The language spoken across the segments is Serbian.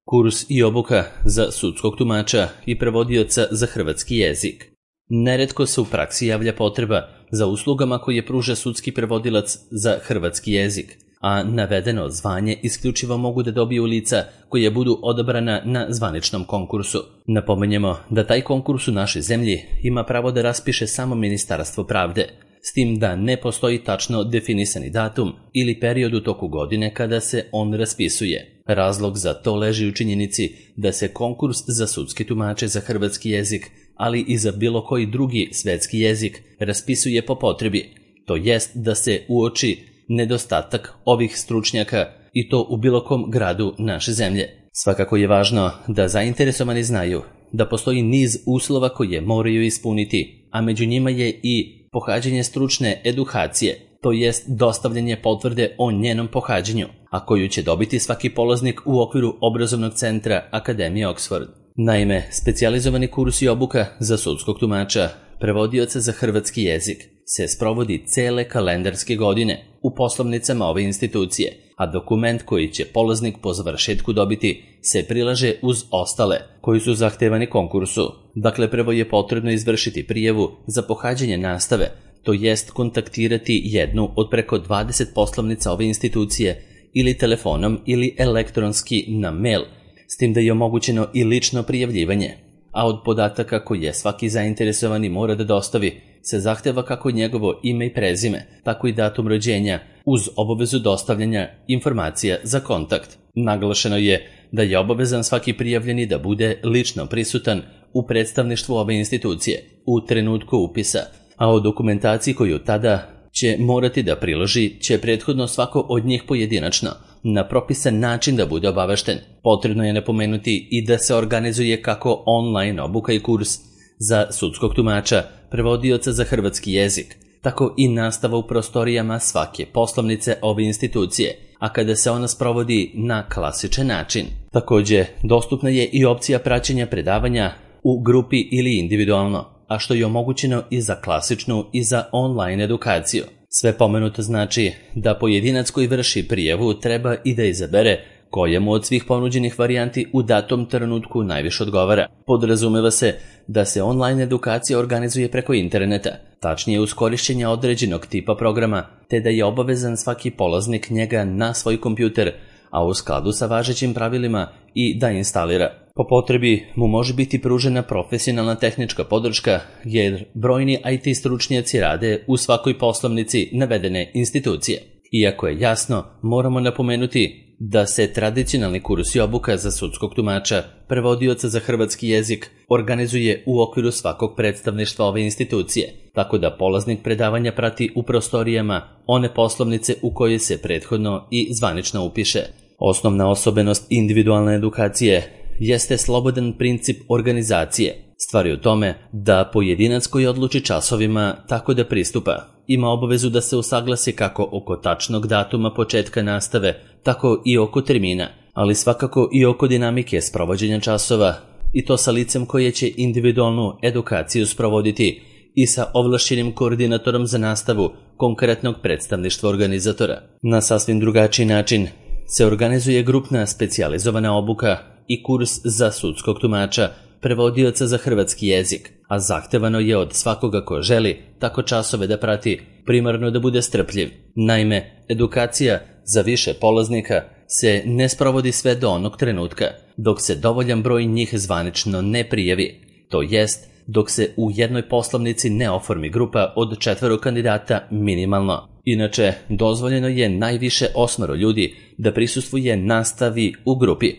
Kurs i obuka za sudskog tumača i prevodioca za hrvatski jezik. Neretko se u praksi javlja potreba za uslugama koje pruža sudski prevodilac za hrvatski jezik, a navedeno zvanje isključivo mogu da dobiju lica koje budu odabrana na zvaničnom konkursu. Napomenjemo da taj konkurs u našoj zemlji ima pravo da raspiše samo Ministarstvo pravde, s tim da ne postoji tačno definisani datum ili period u toku godine kada se on raspisuje. Razlog za to leži u činjenici da se konkurs za sudske tumače za hrvatski jezik, ali i za bilo koji drugi svetski jezik, raspisuje po potrebi, to jest da se uoči nedostatak ovih stručnjaka i to u bilo kom gradu naše zemlje. Svakako je važno da zainteresovani znaju da postoji niz uslova koje moraju ispuniti, a među njima je i pohađanje stručne edukacije, to jest dostavljanje potvrde o njenom pohađanju, a koju će dobiti svaki polaznik u okviru obrazovnog centra Akademije Oxford. Naime, specijalizovani kurs i obuka za sudskog tumača, prevodioca za hrvatski jezik, se sprovodi cele kalendarske godine u poslovnicama ove institucije, a dokument koji će polaznik po završetku dobiti se prilaže uz ostale koji su zahtevani konkursu. Dakle, prvo je potrebno izvršiti prijavu za pohađanje nastave, to jest kontaktirati jednu od preko 20 poslovnica ove institucije ili telefonom ili elektronski na mail, s tim da je omogućeno i lično prijavljivanje. A od podataka koje svaki zainteresovani mora da dostavi se zahteva kako njegovo ime i prezime, tako i datum rođenja, uz obavezu dostavljanja informacija za kontakt. Naglašeno je da je obavezan svaki prijavljeni da bude lično prisutan u predstavništvu ove institucije u trenutku upisa, a o dokumentaciji koju tada će morati da priloži će prethodno svako od njih pojedinačno na propisan način da bude obavešten. Potrebno je napomenuti i da se organizuje kako online obuka i kurs za sudskog tumača, prevodioca za hrvatski jezik, tako i nastava u prostorijama svake poslovnice ove institucije, a kada se ona sprovodi na klasičan način. Također, dostupna je i opcija praćenja predavanja u grupi ili individualno, a što je omogućeno i za klasičnu i za online edukaciju. Sve pomenuto znači da pojedinac koji vrši prijavu treba i da izabere koja mu od svih ponuđenih varijanti u datom trenutku najviše odgovara. Podrazumeva se da se online edukacija organizuje preko interneta, tačnije uz korišćenje određenog tipa programa, te da je obavezan svaki polaznik njega na svoj kompjuter, a u skladu sa važećim pravilima i da instalira. Po potrebi mu može biti pružena profesionalna tehnička podrška, jer brojni IT stručnjaci rade u svakoj poslovnici navedene institucije. Iako je jasno, moramo napomenuti da se tradicionalni kurs i obuka za sudskog tumača, prevodioca za hrvatski jezik, organizuje u okviru svakog predstavništva ove institucije, tako da polaznik predavanja prati u prostorijama one poslovnice u koje se prethodno i zvanično upiše. Osnovna osobenost individualne edukacije jeste slobodan princip organizacije. Stvar je u tome da pojedinac koji odluči časovima tako da pristupa ima obavezu da se usaglasi kako oko tačnog datuma početka nastave, tako i oko termina, ali svakako i oko dinamike sprovođenja časova, i to sa licem koje će individualnu edukaciju sprovoditi i sa ovlašćenim koordinatorom za nastavu konkretnog predstavništva organizatora. Na sasvim drugačiji način se organizuje grupna specijalizovana obuka i kurs za sudskog tumača, prevodioca za hrvatski jezik, a zahtevano je od svakoga ko želi tako časove da prati, primarno da bude strpljiv. Naime, edukacija za više polaznika se ne sprovodi sve do onog trenutka, dok se dovoljan broj njih zvanično ne prijavi, to jest dok se u jednoj poslovnici ne oformi grupa od 4 kandidata minimalno. Inače, dozvoljeno je najviše 8 ljudi da prisustvuje nastavi u grupi,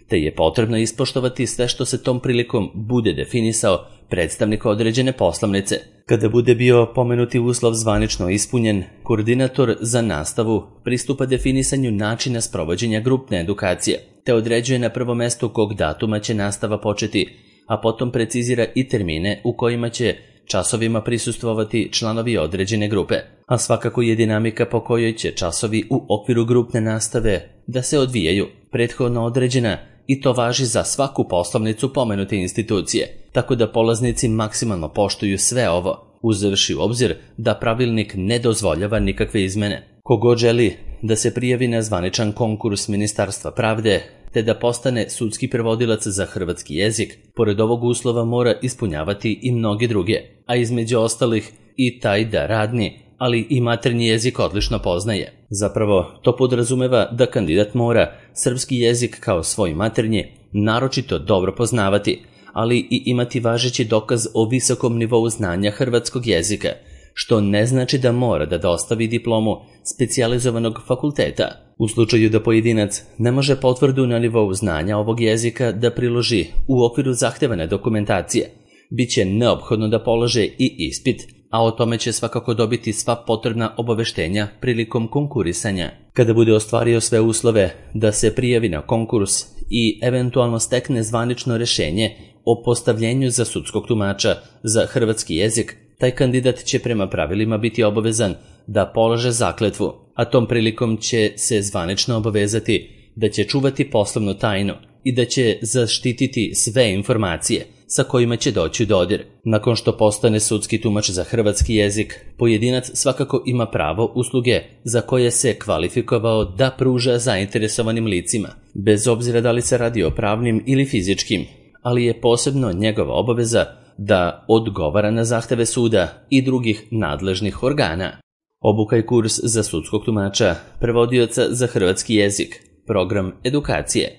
te je potrebno ispoštovati sve što se tom prilikom bude definisao predstavnik određene poslovnice. Kada bude bio pomenuti uslov zvanično ispunjen, koordinator za nastavu pristupa definisanju načina sprovođenja grupne edukacije, te određuje na prvo mesto kog datuma će nastava početi, a potom precizira i termine u kojima će časovima prisustvovati članovi određene grupe, a svakako je dinamika po kojoj će časovi u okviru grupne nastave da se odvijaju prethodno određena, i to važi za svaku poslovnicu pomenute institucije, tako da polaznici maksimalno poštuju sve ovo, uzevši u obzir da pravilnik ne dozvoljava nikakve izmene. Kogod želi da se prijavi na zvaničan konkurs Ministarstva pravde, te da postane sudski prevodilac za hrvatski jezik, pored ovog uslova mora ispunjavati i mnoge druge, a između ostalih i taj da radni, ali i maternji jezik odlično poznaje. Zapravo, to podrazumeva da kandidat mora srpski jezik kao svoj maternji naročito dobro poznavati, ali i imati važeći dokaz o visokom nivou znanja hrvatskog jezika, što ne znači da mora da dostavi diplomu specijalizovanog fakulteta. U slučaju da pojedinac ne može potvrdu na nivou znanja ovog jezika da priloži u okviru zahtevane dokumentacije, bit će neophodno da polaže i ispit, a o tome će svakako dobiti sva potrebna obaveštenja prilikom konkurisanja. Kada bude ostvario sve uslove da se prijavi na konkurs i eventualno stekne zvanično rešenje o postavljenju za sudskog tumača za hrvatski jezik, taj kandidat će prema pravilima biti obavezan da polaže zakletvu, a tom prilikom će se zvanično obavezati da će čuvati poslovnu tajnu i da će zaštititi sve informacije sa kojima će doći u dodir. Nakon što postane sudski tumač za hrvatski jezik, pojedinac svakako ima pravo usluge za koje se kvalifikovao da pruža zainteresovanim licima, bez obzira da li se radi o pravnim ili fizičkim, ali je posebno njegova obaveza da odgovara na zahteve suda i drugih nadležnih organa. Obuka i kurs za sudskog tumača, prevodioca za hrvatski jezik, program edukacije.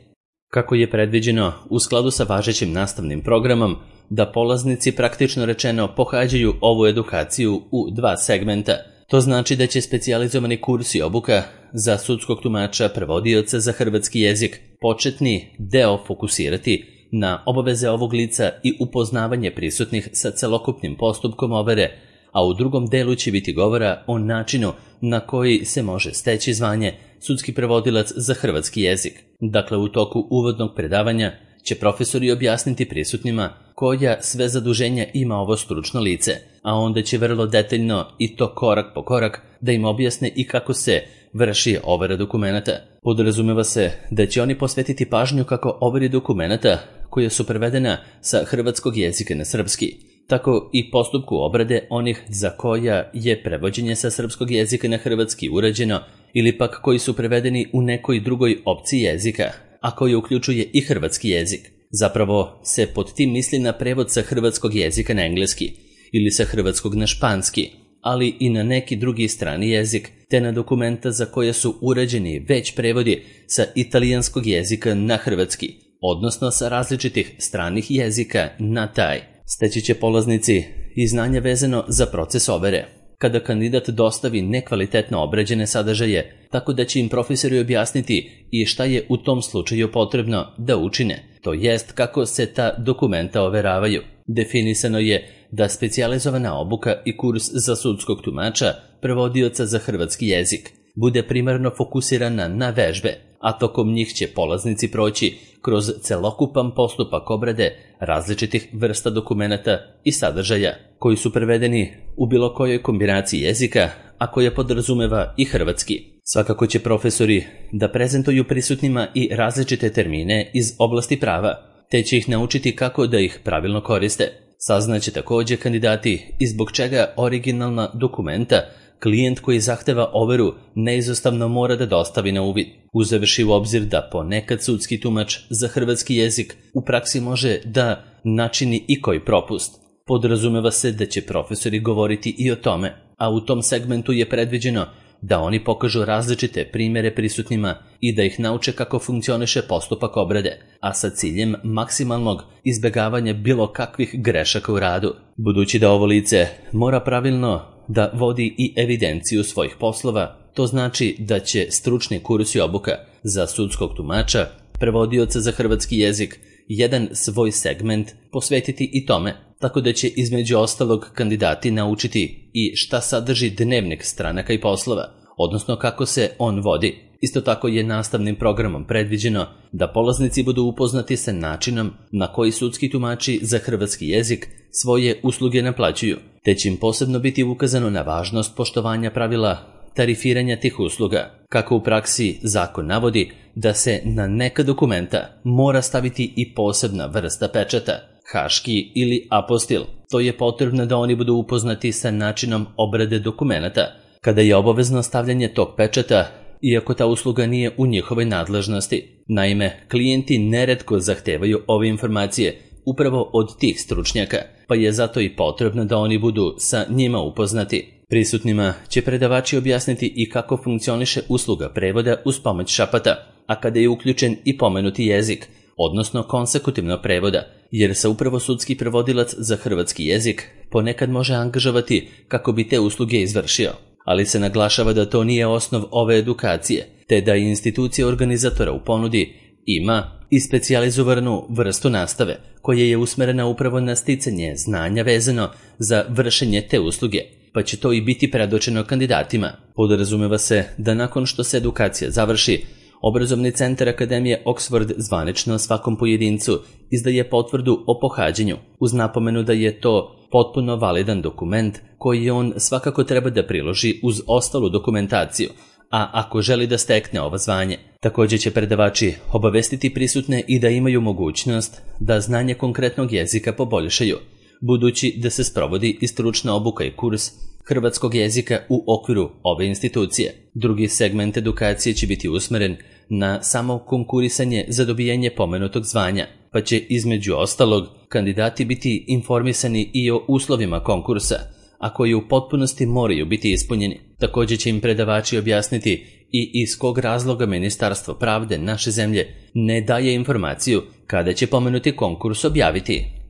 Kako je predviđeno u skladu sa važećim nastavnim programom, da polaznici praktično rečeno pohađaju ovu edukaciju u dva segmenta. To znači da će specijalizovani kurs i obuka za sudskog tumača, prevodioca za hrvatski jezik početni deo fokusirati na obaveze ovog lica i upoznavanje prisutnih sa celokupnim postupkom overe, a u drugom delu će biti govora o načinu na koji se može steći zvanje sudski prevodilac za hrvatski jezik. Dakle, u toku uvodnog predavanja će profesori objasniti prisutnima koja sve zaduženja ima ovo stručno lice, a onda će vrlo detaljno i to korak po korak da im objasne i kako se vrši overa dokumenata. Podrazumeva se da će oni posvetiti pažnju kako overi dokumenata koja su prevedena sa hrvatskog jezika na srpski, tako i postupku obrade onih za koja je prevođenje sa srpskog jezika na hrvatski urađeno ili pak koji su prevedeni u nekoj drugoj opciji jezika, a koji uključuje i hrvatski jezik. Zapravo se pod tim misli na prevod sa hrvatskog jezika na engleski ili sa hrvatskog na španski, ali i na neki drugi strani jezik, te na dokumenta za koje su urađeni već prevodi sa italijanskog jezika na hrvatski, odnosno sa različitih stranih jezika na taj. Steći će polaznici i znanja vezano za proces overe, kada kandidat dostavi nekvalitetno obrađene sadržaje, tako da će im profesori objasniti i šta je u tom slučaju potrebno da učine, to jest kako se ta dokumenta overavaju. Definisano je da specijalizovana obuka i kurs za sudskog tumača, prevodioca za hrvatski jezik, bude primarno fokusirana na vežbe, a tokom njih će polaznici proći kroz celokupan postupak obrade različitih vrsta dokumenata i sadržaja, koji su prevedeni u bilo kojoj kombinaciji jezika, a koja podrazumeva i hrvatski. Svakako će profesori da prezentuju prisutnima i različite termine iz oblasti prava, te će ih naučiti kako da ih pravilno koriste. Saznaće također kandidati i zbog čega originalna dokumenta klijent koji zahteva overu neizostavno mora da dostavi na uvid, uzevši u obzir da ponekad sudski tumač za hrvatski jezik u praksi može da načini i koji propust. Podrazumeva se da će profesori govoriti i o tome, a u tom segmentu je predviđeno da oni pokažu različite primjere prisutnima i da ih nauče kako funkcioniše postupak obrade, a sa ciljem maksimalnog izbegavanja bilo kakvih grešaka u radu. Budući da ovo lice mora pravilno da vodi i evidenciju svojih poslova, to znači da će stručni kurs i obuka za sudskog tumača, prevodioca za hrvatski jezik, jedan svoj segment posvetiti i tome, tako da će između ostalog kandidati naučiti i šta sadrži dnevnik stranaka i poslova, odnosno kako se on vodi. Isto tako je nastavnim programom predviđeno da polaznici budu upoznati sa načinom na koji sudski tumači za hrvatski jezik svoje usluge naplaćuju, te će im posebno biti ukazano na važnost poštovanja pravila tarifiranja tih usluga. Kako u praksi zakon navodi da se na neka dokumenta mora staviti i posebna vrsta pečata, haški ili apostil, to je potrebno da oni budu upoznati sa načinom obrade dokumenata. Kada je obavezno stavljanje tog pečata, iako ta usluga nije u njihovoj nadležnosti. Naime, klijenti neretko zahtevaju ove informacije upravo od tih stručnjaka, pa je zato i potrebno da oni budu sa njima upoznati. Prisutnima će predavači objasniti i kako funkcioniše usluga prevoda uz pomoć šapata, a kada je uključen i pomenuti jezik, odnosno konsekutivno prevoda, jer se upravo sudski prevodilac za hrvatski jezik ponekad može angažovati kako bi te usluge izvršio. Ali se naglašava da to nije osnov ove edukacije, te da institucija organizatora u ponudi ima i specijalizovanu vrstu nastave, koja je usmerena upravo na sticanje znanja vezano za vršenje te usluge, pa će to i biti predočeno kandidatima. Podrazumeva se da nakon što se edukacija završi, Obrazovni centar Akademije Oxford zvanično svakom pojedincu izdaje potvrdu o pohađanju, uz napomenu da je to potpuno validan dokument koji on svakako treba da priloži uz ostalu dokumentaciju, a ako želi da stekne ovo zvanje. Također će predavači obavestiti prisutne i da imaju mogućnost da znanje konkretnog jezika poboljšaju, budući da se sprovodi i stručna obuka i kurs hrvatskog jezika u okviru ove institucije. Drugi segment edukacije će biti usmeren na samo konkurisanje za dobijanje pomenutog zvanja, pa će između ostalog kandidati biti informisani i o uslovima konkursa, a koji u potpunosti moraju biti ispunjeni. Također će im predavači objasniti i iz kog razloga Ministarstvo pravde naše zemlje ne daje informaciju kada će pomenuti konkurs objaviti.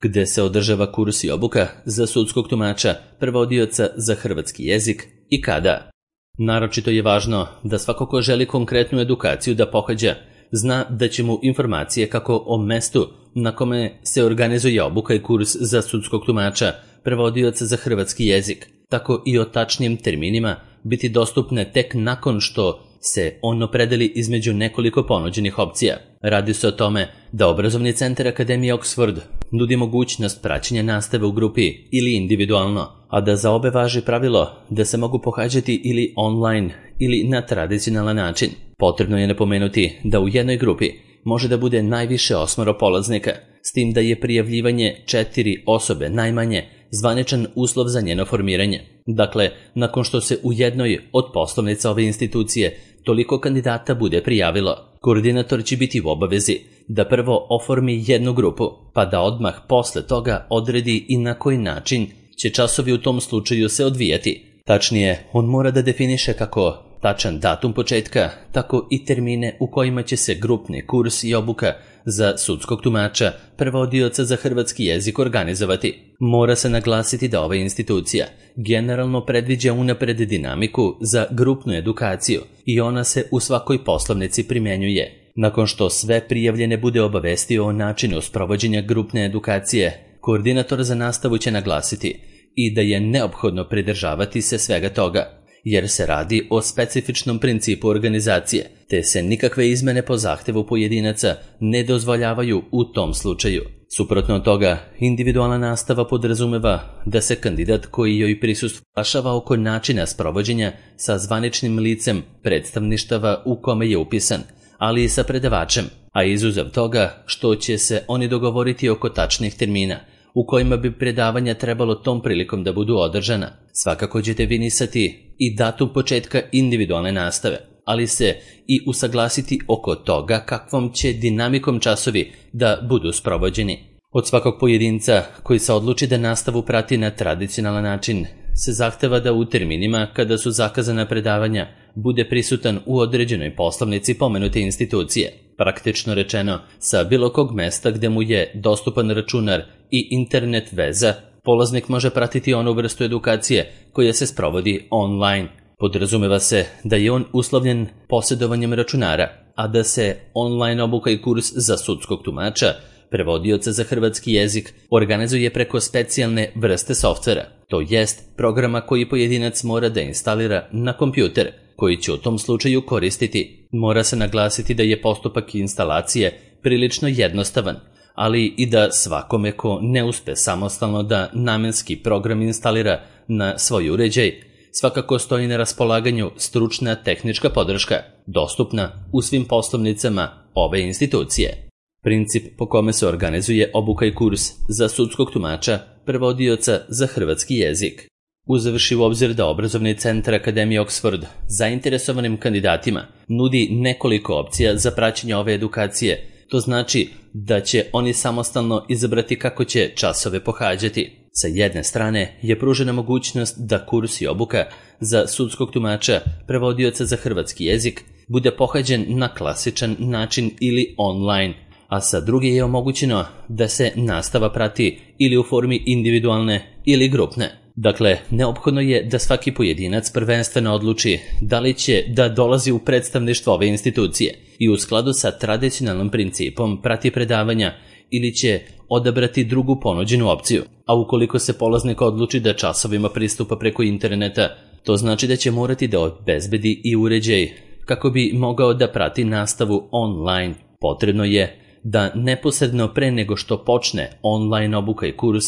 Gde se održava kurs i obuka za sudskog tumača, prevodioca za hrvatski jezik i kada. Naročito je važno da svako ko želi konkretnu edukaciju da pohađa, zna da će mu informacije kako o mestu na kome se organizuje obuka i kurs za sudskog tumača, prevodioca za hrvatski jezik, tako i o tačnim terminima biti dostupne tek nakon što se on opredeli između nekoliko ponuđenih opcija. Radi se o tome da Obrazovni centar Akademije Oxford nudi mogućnost praćenja nastave u grupi ili individualno, a da za obe važi pravilo da se mogu pohađati ili online ili na tradicionalan način. Potrebno je napomenuti da u jednoj grupi može da bude najviše 8 polaznika, s tim da je prijavljivanje 4 osobe najmanje zvaničan uslov za njeno formiranje. Dakle, nakon što se u jednoj od poslovnica ove institucije toliko kandidata bude prijavilo, koordinator će biti u obavezi da prvo oformi jednu grupu, pa da odmah posle toga odredi i na koji način će časovi u tom slučaju se odvijati. Tačnije, on mora da definiše kako tačan datum početka, tako i termine u kojima će se grupni kurs i obuka za sudskog tumača, prevodioca za hrvatski jezik organizovati. Mora se naglasiti da ova institucija generalno predviđa unapred dinamiku za grupnu edukaciju i ona se u svakoj poslovnici primjenjuje. Nakon što sve prijavljene bude obavestio o načinu sprovođenja grupne edukacije, koordinator za nastavu će naglasiti i da je neophodno pridržavati se svega toga, jer se radi o specifičnom principu organizacije, te se nikakve izmene po zahtevu pojedinaca ne dozvoljavaju u tom slučaju. Suprotno od toga, individualna nastava podrazumeva da se kandidat koji joj prisustvuje oko načina sprovođenja sa zvaničnim licem predstavništava u kome je upisan, ali i sa predavačem, a izuzev toga što će se oni dogovoriti oko tačnih termina u kojima bi predavanja trebalo tom prilikom da budu održana. Svakako će definisati i datum početka individualne nastave, ali se i usaglasiti oko toga kakvom će dinamikom časovi da budu sprovođeni. Od svakog pojedinca koji se odluči da nastavu prati na tradicionalan način se zahteva da u terminima kada su zakazana predavanja bude prisutan u određenoj poslovnici pomenute institucije. Praktično rečeno, sa bilo kog mesta gde mu je dostupan računar i internet veza, polaznik može pratiti onu vrstu edukacije koja se sprovodi online. Podrazumeva se da je on uslovljen posjedovanjem računara, a da se online obuka i kurs za sudskog tumača, prevodioca za hrvatski jezik, organizuje preko specijalne vrste softvera, to jest programa koji pojedinac mora da instalira na kompjuter, koji će u tom slučaju koristiti. Mora se naglasiti da je postupak instalacije prilično jednostavan, ali i da svakome ko ne uspe samostalno da namenski program instalira na svoj uređaj, svakako stoji na raspolaganju stručna tehnička podrška, dostupna u svim poslovnicama ove institucije. Princip po kome se organizuje obuka i kurs za sudskog tumača, prevodioca za hrvatski jezik. Uzevši u obzir da obrazovni centar Akademije Oxford zainteresovanim kandidatima nudi nekoliko opcija za praćenje ove edukacije, to znači da će oni samostalno izabrati kako će časove pohađati. Sa jedne strane je pružena mogućnost da kurs i obuka za sudskog tumača, prevodioca za hrvatski jezik, bude pohađen na klasičan način ili online, a sa druge je omogućeno da se nastava prati ili u formi individualne ili grupne. Dakle, neophodno je da svaki pojedinac prvenstveno odluči da li će da dolazi u predstavništvo ove institucije i u skladu sa tradicionalnim principom prati predavanja ili će odabrati drugu ponuđenu opciju. A ukoliko se polaznik odluči da časovima pristupa preko interneta, to znači da će morati da obezbedi i uređaj kako bi mogao da prati nastavu online. Potrebno je da neposredno pre nego što počne online obuka i kurs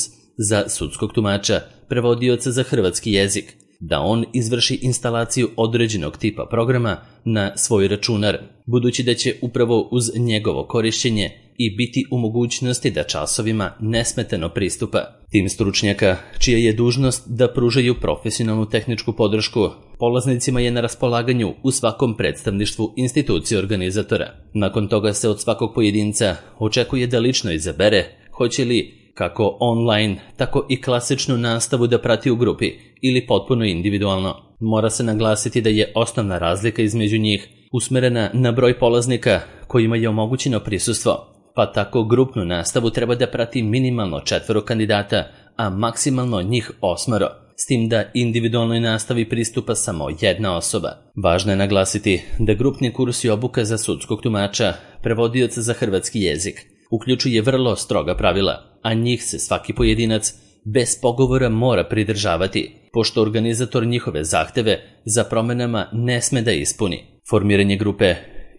za sudskog tumača, prevodioca za hrvatski jezik, da on izvrši instalaciju određenog tipa programa na svoj računar, budući da će upravo uz njegovo korišćenje i biti u mogućnosti da časovima nesmetano pristupa. Tim stručnjaka, čija je dužnost da pružaju profesionalnu tehničku podršku, polaznicima je na raspolaganju u svakom predstavništvu institucije organizatora. Nakon toga se od svakog pojedinca očekuje da lično izabere hoće li kako online, tako i klasičnu nastavu da prati u grupi ili potpuno individualno. Mora se naglasiti da je osnovna razlika između njih usmerena na broj polaznika kojima je omogućeno prisustvo, pa tako grupnu nastavu treba da prati minimalno 4 kandidata, a maksimalno njih 8, s tim da individualnoj nastavi pristupa samo jedna osoba. Važno je naglasiti da grupni kurs i obuka za sudskog tumača, prevodioca za hrvatski jezik, uključuje vrlo stroga pravila, a njih se svaki pojedinac bez pogovora mora pridržavati, pošto organizator njihove zahteve za promenama ne sme da ispuni. Formiranje grupe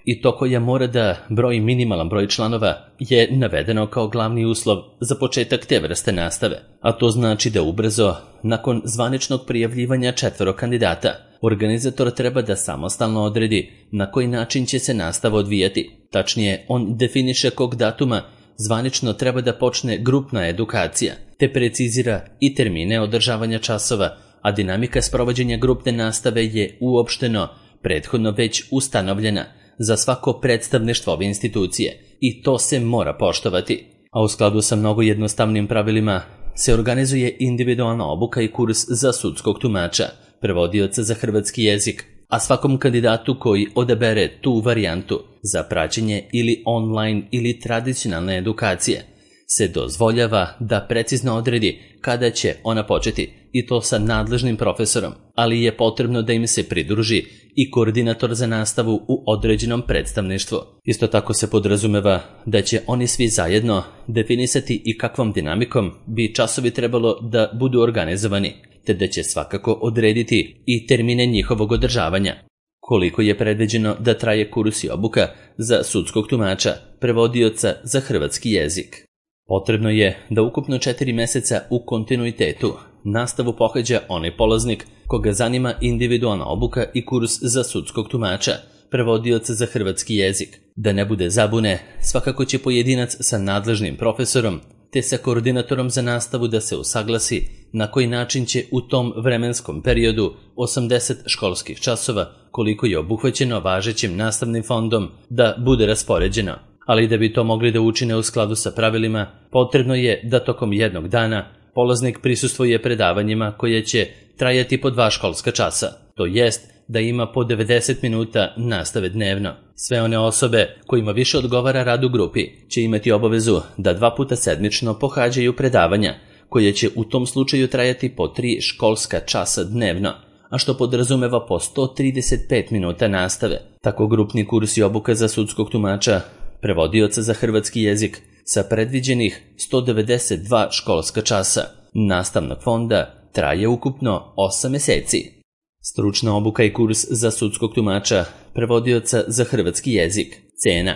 i to koja mora da broji minimalan broj članova je navedeno kao glavni uslov za početak te vrste nastave, a to znači da ubrzo, nakon zvaničnog prijavljivanja 4 kandidata, organizator treba da samostalno odredi na koji način će se nastava odvijati. Tačnije, on definiše kog datuma zvanično treba da počne grupna edukacija, te precizira i termine održavanja časova, a dinamika sprovođenja grupne nastave je uopšteno prethodno već ustanovljena za svako predstavništvo ove institucije i to se mora poštovati. A u skladu sa mnogo jednostavnim pravilima se organizuje individualna obuka i kurs za sudskog tumača, prevodioca za hrvatski jezik, a svakom kandidatu koji odabere tu varijantu za praćenje ili online ili tradicionalne edukacije se dozvoljava da precizno odredi kada će ona početi, i to sa nadležnim profesorom, ali je potrebno da im se pridruži i koordinator za nastavu u određenom predstavništvu. Isto tako se podrazumeva da će oni svi zajedno definisati i kakvom dinamikom bi časovi trebalo da budu organizovani, te da će svakako odrediti i termine njihovog održavanja. Koliko je predviđeno da traje kurs i obuka za sudskog tumača, prevodioca za hrvatski jezik? Potrebno je da ukupno 4 meseca u kontinuitetu nastavu pohađa onaj polaznik koga zanima individualna obuka i kurs za sudskog tumača, prevodioca za hrvatski jezik. Da ne bude zabune, svakako će pojedinac sa nadležnim profesorom te sa koordinatorom za nastavu da se usaglasi na koji način će u tom vremenskom periodu 80 školskih časova, koliko je obuhvaćeno važećim nastavnim fondom, da bude raspoređeno. Ali da bi to mogli da učine u skladu sa pravilima, potrebno je da tokom jednog dana polaznik prisustvuje predavanjima koje će trajati po 2 školska časa, to jest da ima po 90 minuta nastave dnevno. Sve one osobe kojima više odgovara rad u grupi će imati obavezu da 2 puta sedmično pohađaju predavanja, koje će u tom slučaju trajati po 3 školska časa dnevno, a što podrazumeva po 135 minuta nastave. Tako grupni kurs i obuka za sudskog tumača, prevodioca za hrvatski jezik, sa predviđenih 192 školska časa nastavnog fonda traje ukupno 8 meseci. Stručna obuka i kurs za sudskog tumača, prevodioca za hrvatski jezik. Cena.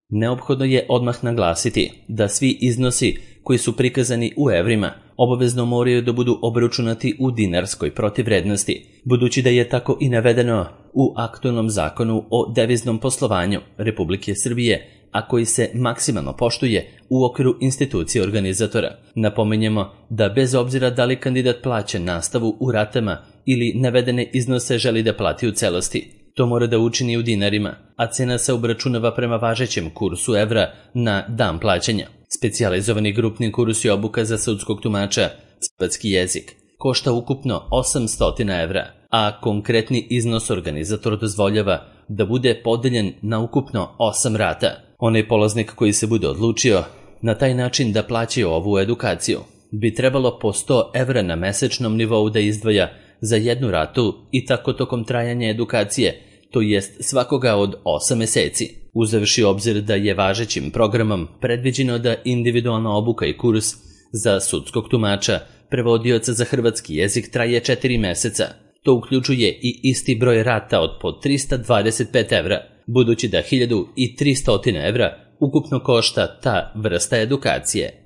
Neophodno je odmah naglasiti da svi iznosi koji su prikazani u evrima obavezno moraju da budu obračunati u dinarskoj protivvrednosti, budući da je tako i navedeno u aktualnom zakonu o deviznom poslovanju Republike Srbije, a koji se maksimalno poštuje u okviru institucije organizatora. Napominjemo da bez obzira da li kandidat plaća nastavu u ratama ili navedene iznose želi da plati u celosti, to mora da učini u dinarima, a cena se obračunava prema važećem kursu evra na dan plaćanja. Specijalizovani grupni kurs i obuka za sudskog tumača hrvatski jezik košta ukupno 800 evra, a konkretni iznos organizator dozvoljava da bude podeljen na ukupno 8 rata. Onaj polaznik koji se bude odlučio na taj način da plaća ovu edukaciju bi trebalo po 100 evra na mesečnom nivou da izdvaja za jednu ratu i tako tokom trajanja edukacije, to jest svakoga od 8 meseci. Uzevši obzir da je važećim programom predviđeno da individualna obuka i kurs za sudskog tumača, prevodioca za hrvatski jezik traje 4 meseca. To uključuje i isti broj rata od po 325 evra, budući da 1300 evra ukupno košta ta vrsta edukacije.